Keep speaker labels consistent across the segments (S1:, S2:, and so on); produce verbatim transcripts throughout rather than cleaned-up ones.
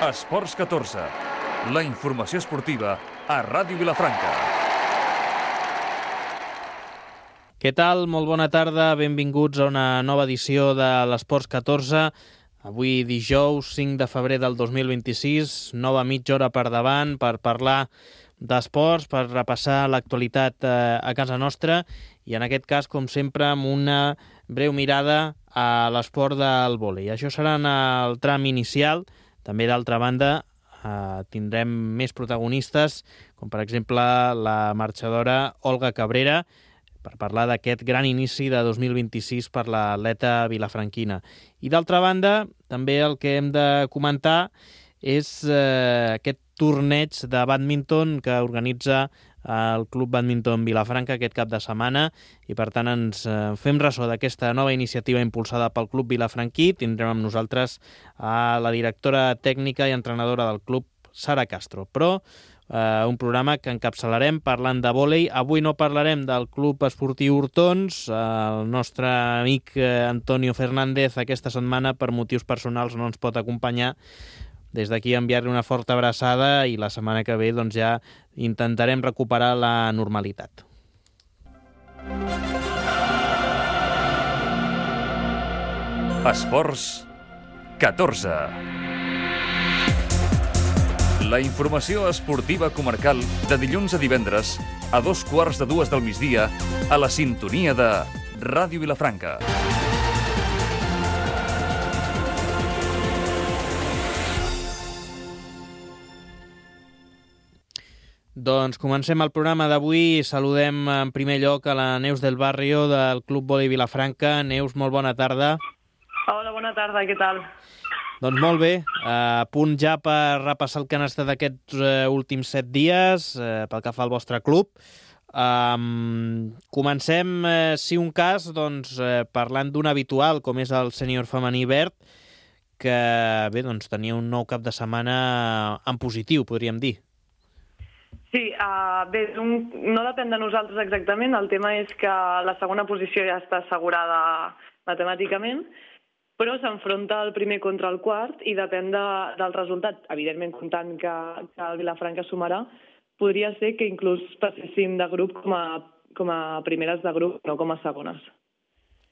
S1: Esports catorze, la informació esportiva a Ràdio Vilafranca.
S2: Què tal? Molt bona tarda, benvinguts a una nova edició de l'Esports catorze. Avui dijous cinc de febrer del dos mil vint-i-sis, nova mitja hora per davant per parlar d'esports, per repassar l'actualitat a casa nostra i en aquest cas, com sempre, amb una breu mirada a l'esport del vòlei. Això serà en el tram inicial. També, d'altra banda, eh, tindrem més protagonistes, com per exemple la marxadora Olga Cabrera, per parlar d'aquest gran inici de dos mil vint-i-sis per l'atleta vilafranquina. I d'altra banda, també el que hem de comentar és eh, aquest torneig de bàdminton que organitza el Club Bàdminton Vilafranca aquest cap de setmana i, per tant, ens eh, fem ressò d'aquesta nova iniciativa impulsada pel Club Vilafranquí. Tindrem amb nosaltres a la directora tècnica i entrenadora del club, Sara Castro. Però eh, un programa que encapçalarem parlant de vòlei. Avui no parlarem del Club Esportiu Hortons. El nostre amic eh, Antonio Fernández aquesta setmana, per motius personals, no ens pot acompanyar. Des d'aquí enviar-li una forta abraçada i la setmana que ve doncs, ja intentarem recuperar la normalitat.
S1: Esports catorze. La informació esportiva comarcal de dilluns a divendres a dos quarts de dues del migdia a la sintonia de Ràdio Vilafranca.
S2: Doncs comencem el programa d'avui. Saludem en primer lloc a la Neus del Barrio del Club Vòlei Vilafranca. Neus, molt bona tarda.
S3: Hola, bona tarda, què tal?
S2: Doncs molt bé, a punt ja per repassar el que han estat aquests uh, últims set dies uh, pel que fa al vostre club. Um, comencem, uh, si un cas, doncs, uh, parlant d'un habitual, com és el sènior femení verd, que bé, doncs, tenia un nou cap de setmana en positiu, podríem dir.
S3: Sí, uh, bé, un, no depèn de nosaltres exactament. El tema és que la segona posició ja està assegurada matemàticament, però s'enfronta el primer contra el quart i depèn de, del resultat. Evidentment, comptant que, que el Vilafranca sumarà, podria ser que inclús passéssim de grup com a, com a primeres de grup, no com a segones.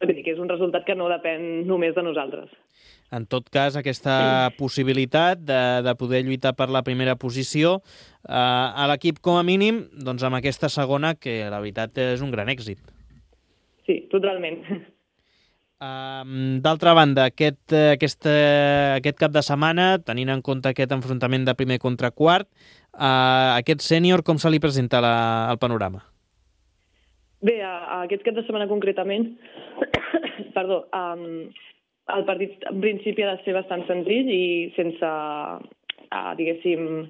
S3: Vull dir que és un resultat que no depèn només de nosaltres.
S2: En tot cas, aquesta possibilitat de, de poder lluitar per la primera posició eh, a l'equip com a mínim, doncs amb aquesta segona, que la veritat és un gran èxit.
S3: Sí, totalment.
S2: Uh, D'altra banda, aquest, aquest, aquest cap de setmana, tenint en compte aquest enfrontament de primer contra quart, uh, aquest sènior com se li presenta la, el panorama?
S3: Bé, a, a aquest cap de setmana concretament, perdó, um, el partit en principi ha de ser bastant senzill i sense, uh, diguéssim,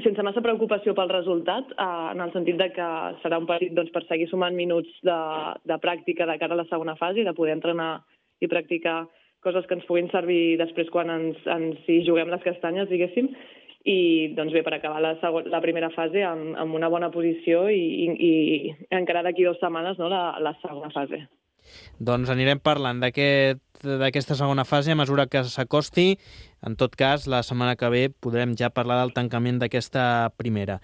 S3: sense massa preocupació pel resultat, uh, en el sentit de que serà un partit doncs, per seguir sumant minuts de, de pràctica de cara a la segona fase i de poder entrenar i practicar coses que ens puguin servir després quan ens, ens hi juguem les castanyes, diguéssim, i doncs bé, per acabar la, segon, la primera fase amb, amb una bona posició i, i, i encara d'aquí dues setmanes no, la, la segona fase.
S2: Doncs anirem parlant d'aquesta aquest, segona fase a mesura que s'acosti. En tot cas, la setmana que ve podrem ja parlar del tancament d'aquesta primera.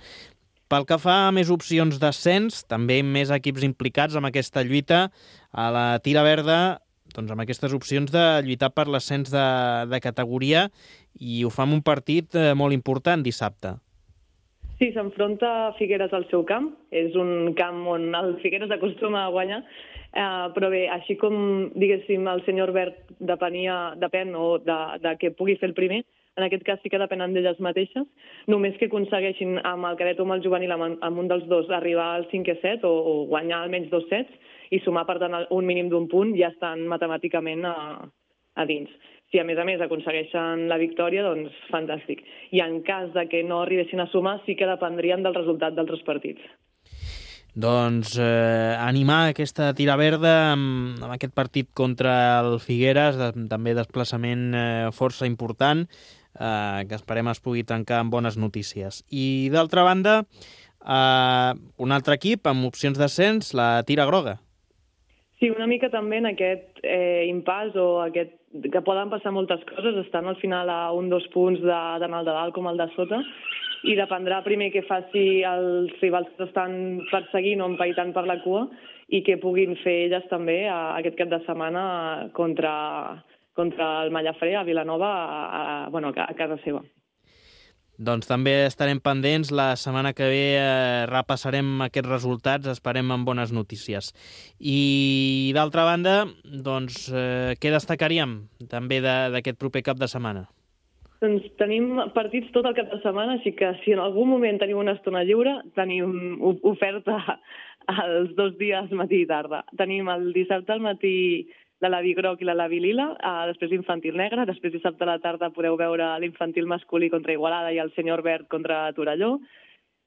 S2: Pel que fa a més opcions d'ascens, també més equips implicats en aquesta lluita, a la tira verda, doncs amb aquestes opcions de lluitar per l'ascens de, de categoria, i ho fa en un partit eh, molt important dissabte.
S3: Sí, s'enfronta Figueres al seu camp. És un camp on el Figueres acostuma a guanyar, eh, però bé, així com, diguéssim, el senyor Verd depenia, depèn o de, de que pugui fer el primer, en aquest cas sí que depenen d'elles mateixes, només que aconsegueixin amb el cadet o amb el juvenil, amb, amb un dels dos, arribar al cinquè set o, o guanyar almenys dos sets i sumar, per tant, un mínim d'un punt, ja estan matemàticament a, a dins. Si a més a més aconsegueixen la victòria, doncs fantàstic. I en cas de que no arribessin a sumar, sí que dependrien del resultat d'altres partits.
S2: Doncs eh, animar aquesta tira verda amb, amb aquest partit contra el Figueres, de, també desplaçament eh, força important, eh, que esperem es pugui tancar amb bones notícies. I d'altra banda, eh, un altre equip amb opcions d'ascens, la Tira Groga.
S3: Sí, Sí, una mica també en aquest eh, impàs o aquest, que poden passar moltes coses, estan al final a un dos punts de, tant el de dalt com el de sota, i dependrà primer què faci els rivals que estan perseguint o empaitant per la cua i què puguin fer elles també a, aquest cap de setmana contra, contra el Mallafré a Vilanova, a, a, bueno, a casa seva.
S2: Doncs també estarem pendents. La setmana que ve eh, repassarem aquests resultats, esperem amb bones notícies. I d'altra banda, doncs, eh, què destacaríem també d'aquest proper cap de setmana?
S3: Doncs tenim partits tot el cap de setmana, així que si en algun moment tenim una estona lliure, tenim oferta els dos dies matí i tarda. Tenim el dissabte al matí la Lavi Groc i la Lavi Lila, uh, després l'infantil negre, després dissabte a la tarda podeu veure l'infantil masculí contra Igualada i el senyor verd contra Torelló.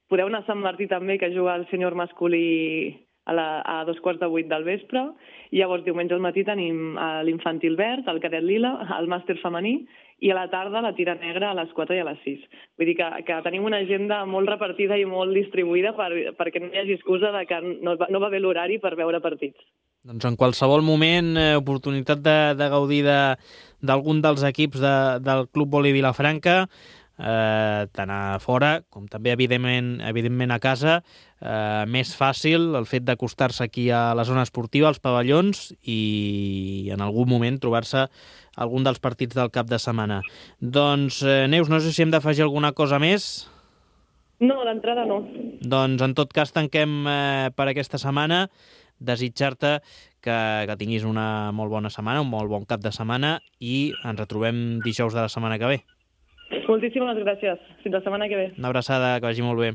S3: Podeu anar a Sant Martí també, que juga el senyor masculí a, la, a dos quarts de vuit del vespre, i llavors diumenge al matí tenim uh, l'infantil verd, el cadet lila, el màster femení, i a la tarda la tira negra a les quatre i a les sis. Vull dir que, que tenim una agenda molt repartida i molt distribuïda per, perquè no hi hagi excusa de que no, no va bé l'horari per veure partits.
S2: Doncs en qualsevol moment, eh, oportunitat de, de gaudir d'algun de, dels equips de, del Club Vòlei Vilafranca, eh, tant a fora com també, evidentment, evidentment a casa. Eh, més fàcil el fet d'acostar-se aquí a la zona esportiva, als pavellons, i en algun moment trobar-se algun dels partits del cap de setmana. Doncs, eh, Neus, no sé si hem d'afegir alguna cosa més.
S3: No, d'entrada no.
S2: Doncs, en tot cas, tanquem eh, per aquesta setmana. Desitjar-te que, que tinguis una molt bona setmana, un molt bon cap de setmana, i ens retrobem dijous de la setmana que ve.
S3: Moltíssimes gràcies. Fins la setmana que ve.
S2: Una abraçada, que vagi molt bé.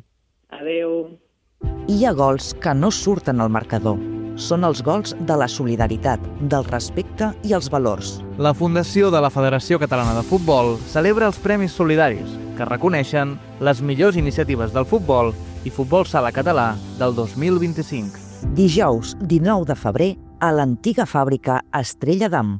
S3: Adéu.
S4: Hi ha gols que no surten al marcador. Són els gols de la solidaritat, del respecte i els valors.
S5: La Fundació de la Federació Catalana de Futbol celebra els Premis Solidaris, que reconeixen les millors iniciatives del futbol i futbol sala català del dos mil vint-i-cinc.
S4: Dijous dinou de febrer a l'antiga fàbrica Estrella d'Am.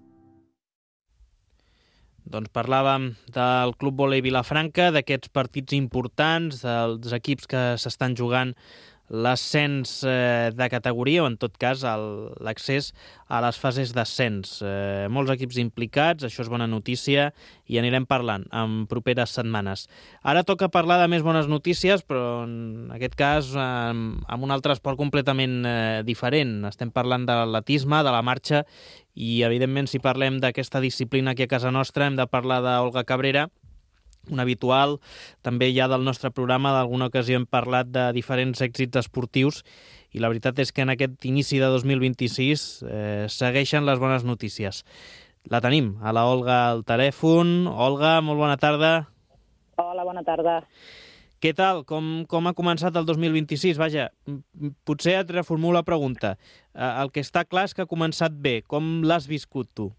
S2: Doncs parlàvem del Club Vòlei Vilafranca, d'aquests partits importants, dels equips que s'estan jugant l'ascens eh, de categoria, o en tot cas l'accés a les fases d'ascens. Eh, molts equips implicats, això és bona notícia, i anirem parlant en properes setmanes. Ara toca parlar de més bones notícies, però en aquest cas eh, amb un altre esport completament eh, diferent. Estem parlant de l'atletisme, de la marxa, i evidentment si parlem d'aquesta disciplina aquí a casa nostra hem de parlar d'Olga Cabrera, un habitual, també ja del nostre programa. D'alguna ocasió hem parlat de diferents èxits esportius i la veritat és que en aquest inici de dos mil vint-i-sis eh, segueixen les bones notícies. La tenim, a la Olga al telèfon. Olga, molt bona tarda.
S6: Hola, bona tarda.
S2: Què tal? Com, com ha començat el dos mil vint-i-sis? Vaja, potser et reformulo la pregunta. El que està clar és que ha començat bé. Com l'has viscut tu?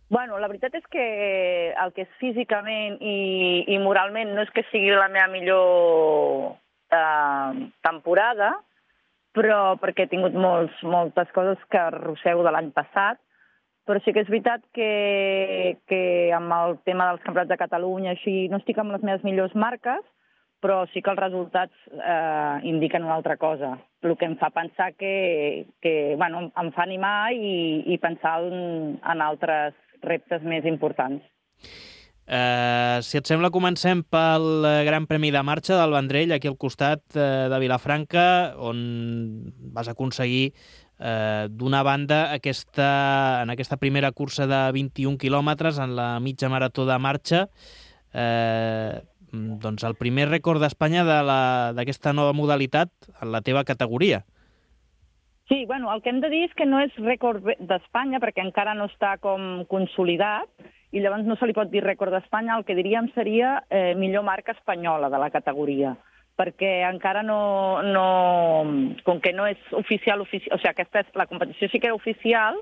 S6: Bueno, la veritat és que el que és físicament i, i moralment no és que sigui la meva millor eh, temporada, però perquè he tingut molts, moltes coses que arrossego de l'any passat, però sí que és veritat que, que amb el tema dels campionats de Catalunya així no estic amb les meves millors marques, però sí que els resultats eh, indiquen una altra cosa, el que em fa pensar que, que bueno, em fa animar i, i pensar en, en altres reptes més importants.
S2: Uh, si et sembla, comencem pel Gran Premi de Marxa del Vendrell, aquí al costat uh, de Vilafranca, on vas aconseguir, uh, d'una banda, aquesta, en aquesta primera cursa de vint-i-un quilòmetres, en la mitja marató de marxa, uh, doncs el primer rècord d'Espanya d'aquesta de nova modalitat en la teva categoria.
S6: Sí, bueno, el que hem de dir és que no és rècord d'Espanya perquè encara no està com consolidat i llavors no se li pot dir rècord d'Espanya, el que diríem seria eh, millor marca espanyola de la categoria, perquè encara no, no com que no és oficial, oficial o sigui, aquesta és, la competició sí que era oficial,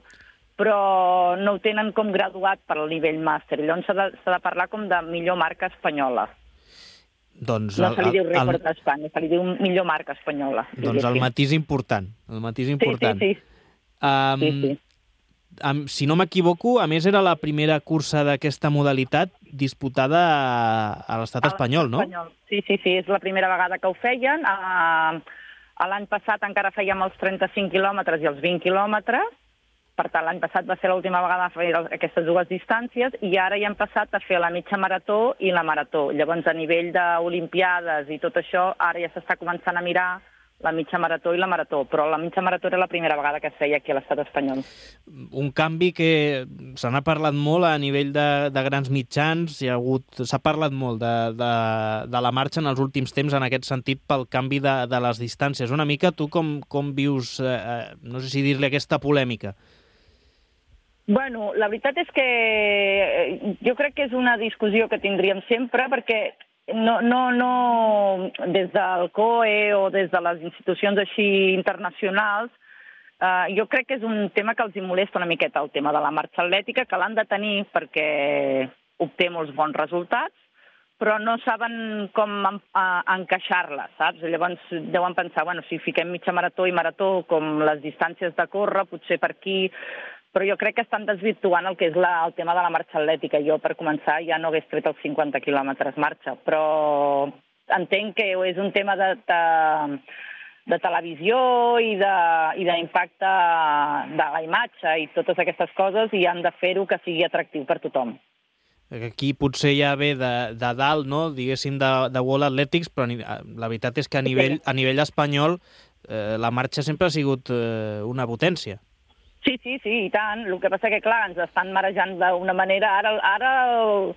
S6: però no ho tenen com graduat per al nivell màster, llavors s'ha de, s'ha de parlar com de millor marca espanyola.
S2: Doncs
S6: no
S2: el,
S6: se li diu rècord
S2: el,
S6: d'Espanya, se li diu millor marca espanyola.
S2: Doncs el matís important, el matís important.
S6: Sí, sí, sí.
S2: Um,
S6: sí, sí.
S2: Um, si no m'equivoco, a més era la primera cursa d'aquesta modalitat disputada a, a l'estat espanyol, no?
S6: Espanyol. Sí, sí, sí, és la primera vegada que ho feien. Uh, L'any passat encara fèiem els trenta-cinc quilòmetres i els vint quilòmetres, per tant, l'any passat va ser l'última vegada a fer aquestes dues distàncies i ara ja hem passat a fer la mitja marató i la marató. Llavors, a nivell d'Olimpiades i tot això, ara ja s'està començant a mirar la mitja marató i la marató, però la mitja marató era la primera vegada que es feia aquí a l'estat espanyol.
S2: Un canvi que se n'ha parlat molt a nivell de, de grans mitjans, hi ha hagut, s'ha parlat molt de, de, de la marxa en els últims temps en aquest sentit pel canvi de, de les distàncies. Una mica, tu com, com vius, eh, no sé si dir-li aquesta polèmica?
S6: Bueno, la veritat és que jo crec que és una discussió que tindríem sempre, perquè No, no, no, des del C O E o des de les institucions així internacionals, eh, jo crec que és un tema que els hi molesta una miqueta, el tema de la marxa atlètica, que l'han de tenir perquè obté molts bons resultats, però no saben com en, a, encaixar-la, saps? Llavors deuen pensar, bueno, si fiquem mitja marató i marató com les distàncies de córrer, potser per aquí... Però jo crec que estan desvirtuant el que és la, el tema de la marxa atlètica. Jo, per començar, ja no hagués tret els cinquanta quilòmetres marxa, però entenc que és un tema de, de, de televisió i d'impacte de, de la imatge i totes aquestes coses, i han de fer-ho que sigui atractiu per tothom.
S2: Aquí potser ja ve de, de dalt, no? Diguéssim, de, de World Athletics, però la veritat és que a nivell, a nivell espanyol eh, la marxa sempre ha sigut eh, una potència.
S6: Sí, sí, sí, i tant. El que passa que, clar, ens estan marejant d'una manera. Ara, ara el,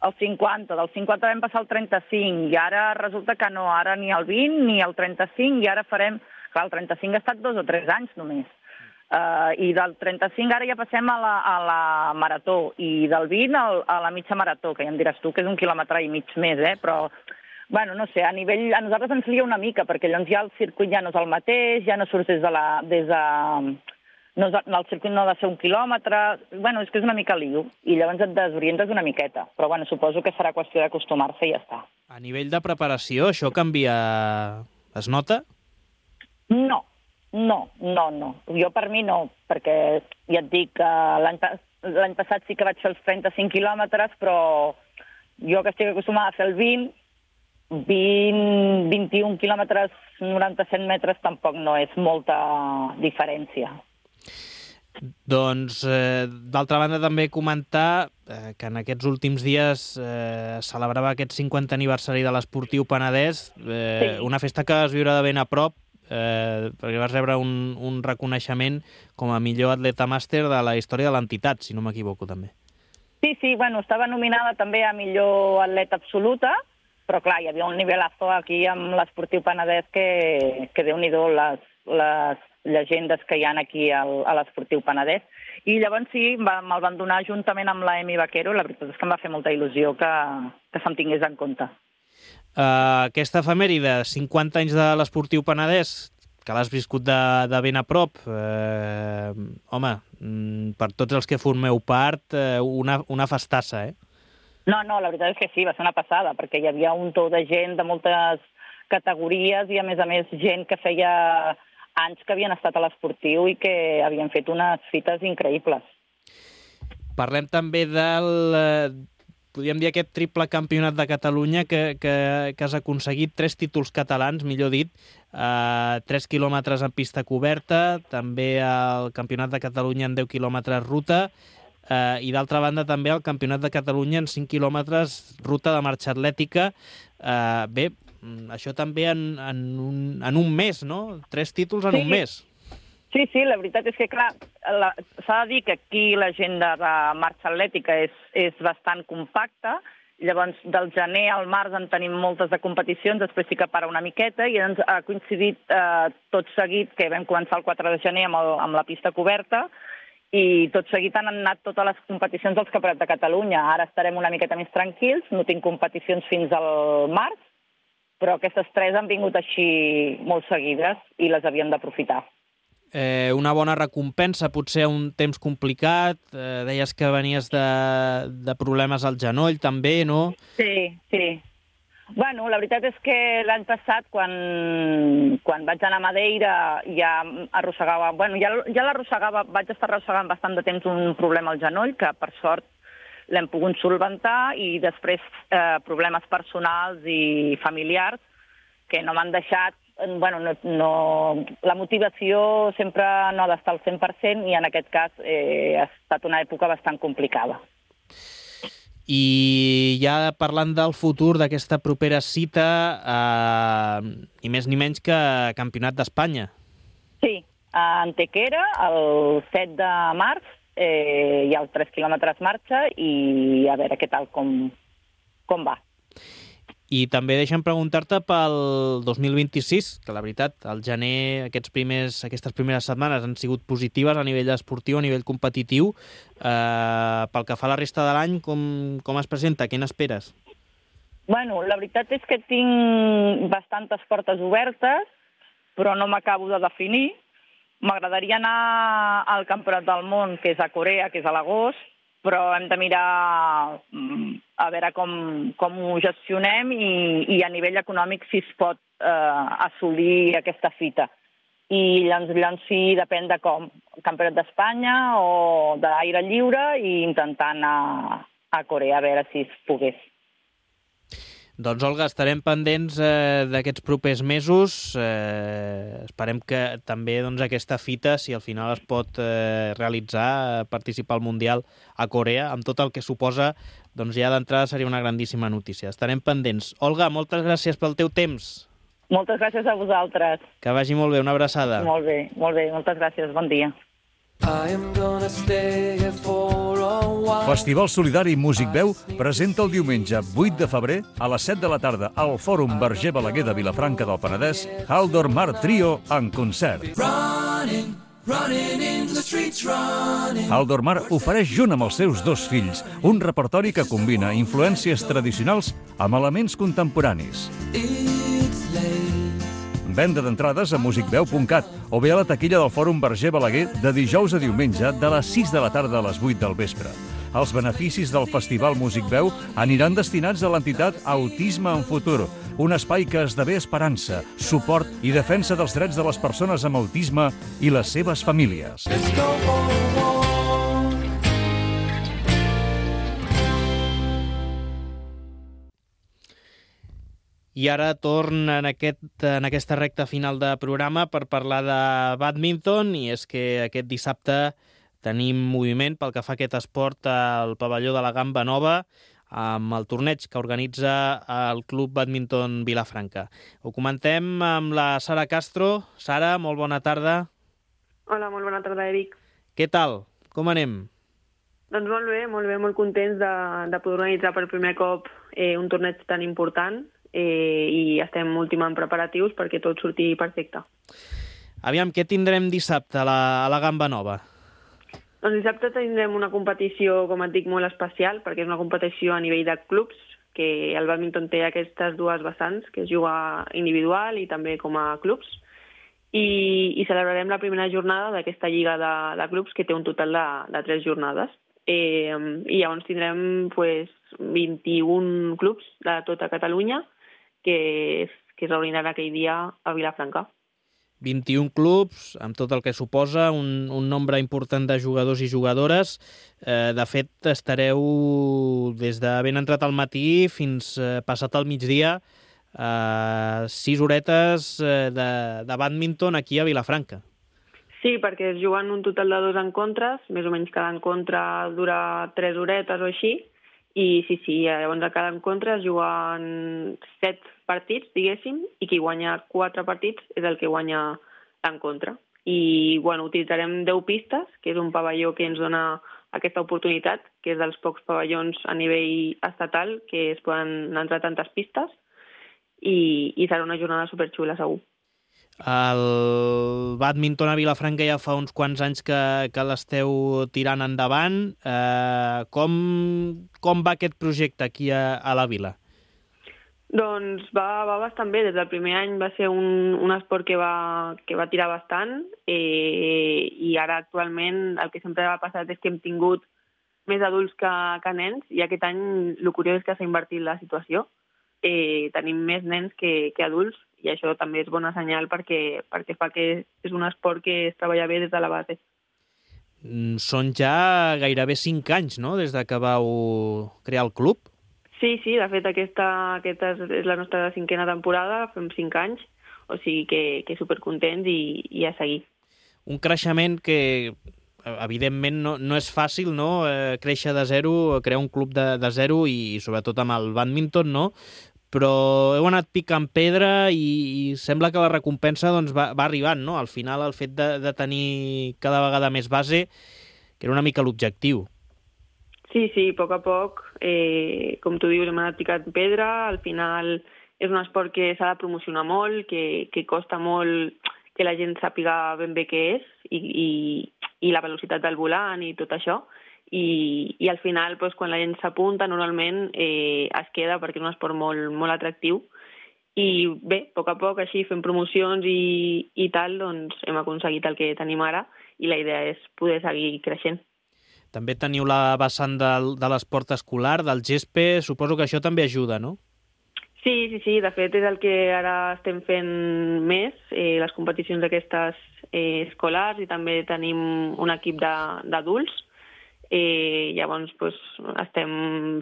S6: el cinquanta, del cinquanta vam passar al trenta-cinc, i ara resulta que no, ara ni el vint ni el trenta-cinc, i ara farem... Clar, el trenta-cinc ha estat dos o tres anys només. Uh, I del trenta-cinc ara ja passem a la, a la marató, i del vint a, a la mitja marató, que ja em diràs tu que és un quilòmetre i mig més, eh? Però, bueno, no sé, a nivell... A nosaltres ens lia una mica, perquè llavors ja el circuit ja no és el mateix, ja no surts des de la... Des de, No, el circuit no ha de ser un quilòmetre... Bueno, és que és una mica lío, i llavors et desorientes una miqueta. Però, bueno, suposo que serà qüestió d'acostumar-se i ja està.
S2: A nivell de preparació, això canvia... Es nota?
S6: No, no, no, no. Jo per mi no, perquè ja et dic que l'any passat sí que vaig fer els trenta-cinc quilòmetres, però jo que estic acostumada a fer el vint, vint, vint-i-un quilòmetres, noranta-set metres, tampoc no és molta diferència.
S2: Doncs, eh, d'altra banda, també comentar eh, que en aquests últims dies eh, celebrava aquest cinquantè aniversari de l'Esportiu Penedès, eh, sí. Una festa que es viurà de ben a prop, eh, perquè vas rebre un, un reconeixement com a millor atleta màster de la història de l'entitat, si no m'equivoco, també.
S6: Sí, sí, bueno, estava nominada també a millor atleta absoluta, però clar, hi havia un nivelazo aquí amb l'Esportiu Penedès que, que Déu-n'hi-do les, les llegendes que hi ha aquí al, a l'Esportiu Penedès. I llavors sí, va, me'l van donar juntament amb la Emi Vaquero, la veritat és que em va fer molta il·lusió que, que se'm tingués en compte.
S2: Uh, aquesta efemèride, cinquanta anys de l'Esportiu Penedès, que l'has viscut de, de ben a prop, eh, home, per tots els que formeu part, eh, una, una festassa, eh?
S6: No, no, la veritat és que sí, va ser una passada, perquè hi havia un to de gent de moltes categories i, a més a més, gent que feia anys que havien estat a l'Esportiu i que havien fet unes fites increïbles.
S2: Parlem també del, podríem dir, aquest triple campionat de Catalunya que, que, que has aconseguit tres títols catalans, millor dit, eh, tres quilòmetres en pista coberta, també el Campionat de Catalunya en deu quilòmetres ruta, eh, i d'altra banda també el Campionat de Catalunya en cinc quilòmetres ruta de marxa atlètica. Eh, bé, això també en, en, un, en un mes, no? Tres títols en
S6: sí.
S2: un mes.
S6: Sí, sí, la veritat és que, clar, s'ha de dir que aquí l'agenda de marxa atlètica és, és bastant compacta. Llavors, del gener al març en tenim moltes de competicions, després sí que para una miqueta, i ens ha coincidit eh, tot seguit, que vam començar el quatre de gener amb, el, amb la pista coberta, i tot seguit han anat totes les competicions dels Campionats de Catalunya. Ara estarem una miqueta més tranquils, no tinc competicions fins al març, però aquestes tres han vingut així molt seguides i les havíem d'aprofitar.
S2: Eh, una bona recompensa, potser un temps complicat, eh, deies que venies de, de problemes al genoll també, no?
S6: Sí, sí. Bueno, la veritat és que l'any passat, quan, quan vaig anar a Madeira, ja arrossegava... Bueno, ja, ja l'arrossegava, vaig estar arrossegant bastant de temps un problema al genoll, que per sort l'hem pogut solventar, i després eh, problemes personals i familiars que no m'han deixat bueno, no, no, la motivació sempre no ha d'estar al cent per cent i en aquest cas eh, ha estat una època bastant complicada.
S2: I ja parlant del futur d'aquesta propera cita, eh, ni més ni menys que Campionat d'Espanya.
S6: Sí, a Antequera, el set de març, eh, hi ha els tres quilòmetres marxa i a veure què tal com, com va.
S2: I també deixa'm preguntar-te pel dos mil vint-i-sis, que la veritat, al gener aquests primers, aquestes primeres setmanes han sigut positives a nivell esportiu, a nivell competitiu. Eh, pel que fa a la resta de l'any, com, com es presenta? Què n'esperes?
S6: Bueno, la veritat és que tinc bastantes portes obertes, però no m'acabo de definir. M'agradaria anar al Campionat del Món, que és a Corea, que és a l'agost, però hem de mirar a veure com, com ho gestionem i, i a nivell econòmic si es pot eh, assolir aquesta fita. I llavors, llavors sí, depèn de com. Campionat d'Espanya o d'aire lliure i intentar anar a Corea a veure si es pogués.
S2: Doncs, Olga, estarem pendents eh, d'aquests propers mesos. Eh, esperem que també doncs, aquesta fita, si al final es pot eh, realitzar, participar al Mundial a Corea, amb tot el que suposa, doncs ja d'entrada seria una grandíssima notícia. Estarem pendents. Olga, moltes gràcies pel teu temps.
S6: Moltes gràcies a vosaltres.
S2: Que vagi molt bé, una abraçada.
S6: Molt bé, molt bé, moltes gràcies, bon dia.
S1: Festival Solidari Músic Veu presenta el diumenge vuit de febrer a les set de la tarda al Fòrum Verger Balaguer de Vilafranca del Penedès Haldor Mar Trio en concert. Haldor Mar ofereix junt amb els seus dos fills un repertori que combina influències tradicionals amb elements contemporanis. Venda d'entrades a music veu punt cat o bé a la taquilla del Fòrum Verger Balaguer de dijous a diumenge de les sis de la tarda a les vuit del vespre. Els beneficis del Festival Músic Veu aniran destinats a l'entitat Autisme en Futur, un espai que esdevé esperança, suport i defensa dels drets de les persones amb autisme i les seves famílies.
S2: I ara torn en, aquest, en aquesta recta final de programa per parlar de bàdminton, i és que aquest dissabte tenim moviment pel que fa a aquest esport al pavelló de la Gamba Nova amb el torneig que organitza el Club Bàdminton Vilafranca. Ho comentem amb la Sara Castro. Sara, molt bona tarda.
S3: Hola, molt bona tarda, Eric.
S2: Què tal? Com anem?
S3: Doncs molt bé, molt bé, molt contents de, de poder organitzar per primer cop eh, un torneig tan important. Eh, i estem ultimant preparatius perquè tot surti perfecte.
S2: Aviam, què tindrem dissabte a la, a la Gamba Nova?
S3: Doncs dissabte tindrem una competició, com et dic, molt especial, perquè és una competició a nivell de clubs, que el bàdminton té aquestes dues vessants, que es juga individual i també com a clubs, i, i celebrarem la primera jornada d'aquesta lliga de, de clubs, que té un total de, de tres jornades. Eh, I llavors tindrem pues, vint-i-un clubs de tota Catalunya, que, que es reuniran aquell dia a Vilafranca.
S2: vint-i-un clubs, amb tot el que suposa, un, un nombre important de jugadors i jugadores. Eh, de fet, estareu des de ben entrat al matí fins eh, passat al migdia, eh, sis horetes eh, de, de bàdminton aquí a Vilafranca.
S3: Sí, perquè es juguen un total de dos encontres, més o menys cada encontre dura tres horetes o així, i sí, sí, llavors a cada encontre es juguen set partits, diguéssim, i qui guanya quatre partits és el que guanya l'encontre. I, bueno, utilitzarem deu pistes, que és un pavelló que ens dona aquesta oportunitat, que és dels pocs pavellons a nivell estatal que es poden entrar tantes pistes, i, i serà una jornada superxula, segur.
S2: El bàdminton a Vilafranca ja fa uns quants anys que, que l'esteu tirant endavant. Eh, com, com va aquest projecte aquí a, a la vila?
S3: Doncs va, va bastant bé. Des del primer any va ser un, un esport que va, que va tirar bastant, eh, i ara actualment el que sempre ha passat és que hem tingut més adults que, que nens, i aquest any el curiós és que s'ha invertit la situació. Eh, tenim més nens que, que adults, i això també és bona senyal perquè, perquè fa que és un esport que es treballa bé des de la base.
S2: Són ja gairebé cinc anys, no?, des de que vau crear el club?
S3: Sí, sí, de fet aquesta, aquesta és la nostra cinquena temporada, fem cinc anys. o sigui que, que supercontents i, i a seguir.
S2: Un creixement que, evidentment, no, no és fàcil, no?, eh, créixer de zero, crear un club de, de zero i, sobretot amb el bàdminton, no?, però heu anat picant pedra i, i sembla que la recompensa doncs, va, va arribant, no? Al final, el fet de, de tenir cada vegada més base, que era una mica l'objectiu.
S3: Sí, sí, a poc a poc, eh, com tu dius, hem anat picant pedra, al final és un esport que s'ha de promocionar molt, que, que costa molt que la gent sàpiga ben bé què és i, i, i la velocitat del volant i tot això. I, i al final, doncs, quan la gent s'apunta, normalment eh, es queda perquè és un esport molt, molt atractiu. I bé, a poc a poc, així, fent promocions i, i tal, doncs hem aconseguit el que tenim ara i la idea és poder seguir creixent.
S2: També teniu la vessant de, de l'esport escolar, del gespe, suposo que això també ajuda, no?
S3: Sí, sí, sí, de fet és el que ara estem fent més, eh, les competicions aquestes eh, escolars i també tenim un equip d'adults. Eh, llavors doncs, estem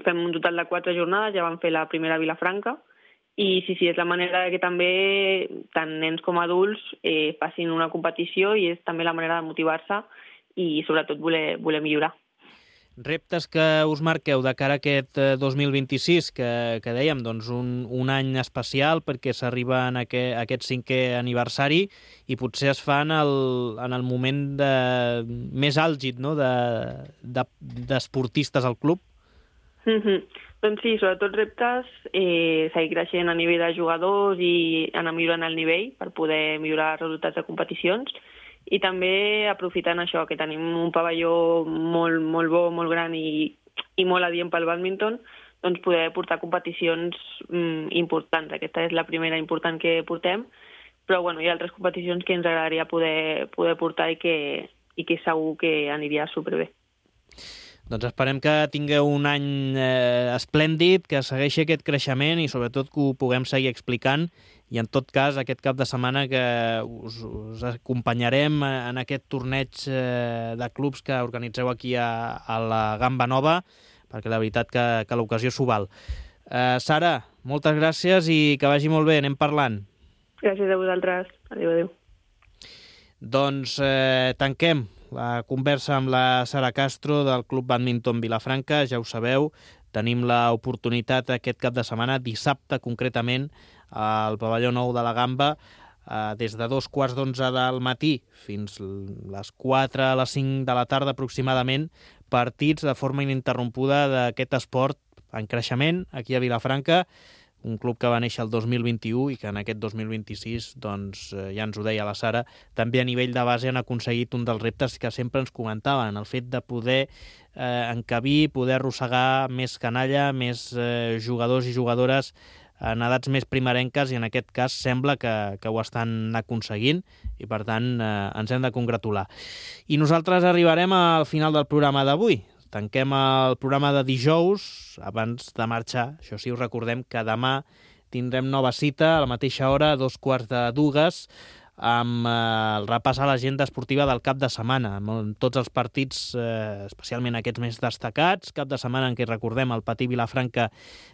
S3: fem un total de quatre jornades, ja vam fer la primera a Vilafranca i sí, sí, és la manera que també tant nens com adults eh, facin una competició i és també la manera de motivar-se i sobretot voler, voler millorar.
S2: Reptes que us marqueu de cara a aquest dos mil vint-i-sis, que, que dèiem, doncs un, un any especial perquè s'arriba en aquest, aquest cinquè aniversari i potser es fa en el, en el moment de, més àlgid, no?, de, de, d'esportistes al club?
S3: Mm-hmm. Doncs sí, sobretot reptes, eh, seguir creixent a nivell de jugadors i anar millorant el nivell per poder millorar els resultats de competicions. I també aprofitant això, que tenim un pavelló molt, molt bo, molt gran i, i molt adient pel bàdminton, doncs poder portar competicions mm, importants. Aquesta és la primera important que portem, però bueno, hi ha altres competicions que ens agradaria poder, poder portar i que, i que segur que aniria superbé.
S2: Doncs esperem que tingueu un any eh, esplèndid, que segueixi aquest creixement i sobretot que ho puguem seguir explicant i en tot cas aquest cap de setmana que us, us acompanyarem en aquest torneig eh, de clubs que organitzeu aquí a, a la Gamba Nova, perquè la veritat que, que l'ocasió s'ho val. Eh, Sara, moltes gràcies i que vagi molt bé, anem parlant.
S3: Gràcies a vosaltres. Adéu, adéu.
S2: Doncs eh, tanquem la conversa amb la Sara Castro del Club Bàdminton Vilafranca. Ja ho sabeu, tenim l'oportunitat aquest cap de setmana, dissabte concretament, al pavelló nou de la Gamba, eh, des de dos quarts d'onze del matí fins les quatre a les cinc de la tarda aproximadament, partits de forma ininterrompuda d'aquest esport en creixement aquí a Vilafranca, un club que va néixer el dos mil vint-i-u i que en aquest dos mil vint-i-sis, doncs, ja ens ho deia la Sara, també a nivell de base han aconseguit un dels reptes que sempre ens comentaven, el fet de poder eh, encabir, poder arrossegar més canalla, més eh, jugadors i jugadores en edats més primerenques i en aquest cas sembla que, que ho estan aconseguint i per tant eh, ens hem de congratular. I nosaltres arribarem al final del programa d'avui. Tanquem el programa de dijous, abans de marxar. Això sí, us recordem que demà tindrem nova cita a la mateixa hora, a dos quarts de dues, amb eh, el repàs a l'agenda esportiva del cap de setmana, amb tots els partits, eh, especialment aquests més destacats. Cap de setmana en què, recordem, el Patí Vilafranca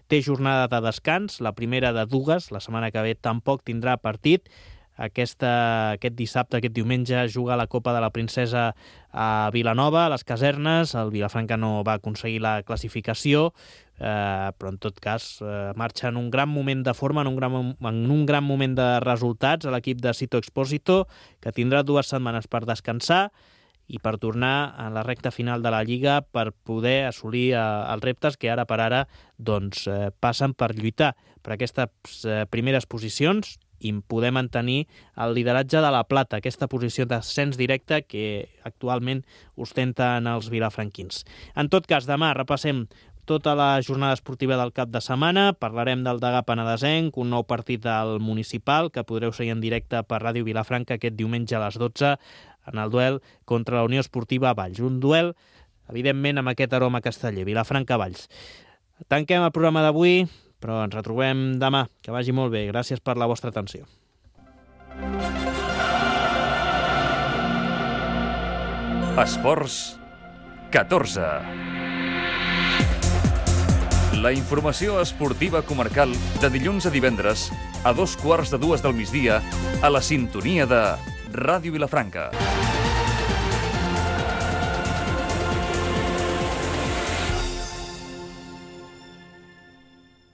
S2: té jornada de descans, la primera de dues, la setmana que ve tampoc tindrà partit. Aquesta, aquest dissabte, aquest diumenge, juga la Copa de la Princesa a Vilanova, a les Casernes. El Vilafranca no va aconseguir la classificació, eh, però en tot cas eh, marxa en un gran moment de forma, en un gran, en un gran moment de resultats a l'equip de Sito Expósito, que tindrà dues setmanes per descansar i per tornar a la recta final de la Lliga per poder assolir eh, els reptes que ara per ara doncs, eh, passen per lluitar per aquestes eh, primeres posicions i poder mantenir el lideratge de la plata, aquesta posició d'ascens directe que actualment ostenten els vilafranquins. En tot cas, demà repassem tota la jornada esportiva del cap de setmana, parlarem del Degà Penedesenc, un nou partit del municipal que podreu seguir en directe per Ràdio Vilafranca aquest diumenge a les dotze en el duel contra la Unió Esportiva Valls. Un duel, evidentment, amb aquest aroma casteller, Vilafranca-Valls. Tanquem el programa d'avui, però ens retrobem demà. Que vagi molt bé. Gràcies per la vostra atenció.
S1: Esports catorze. La informació esportiva comarcal de dilluns a divendres a dos quarts de dues del migdia a la sintonia de Ràdio Vilafranca.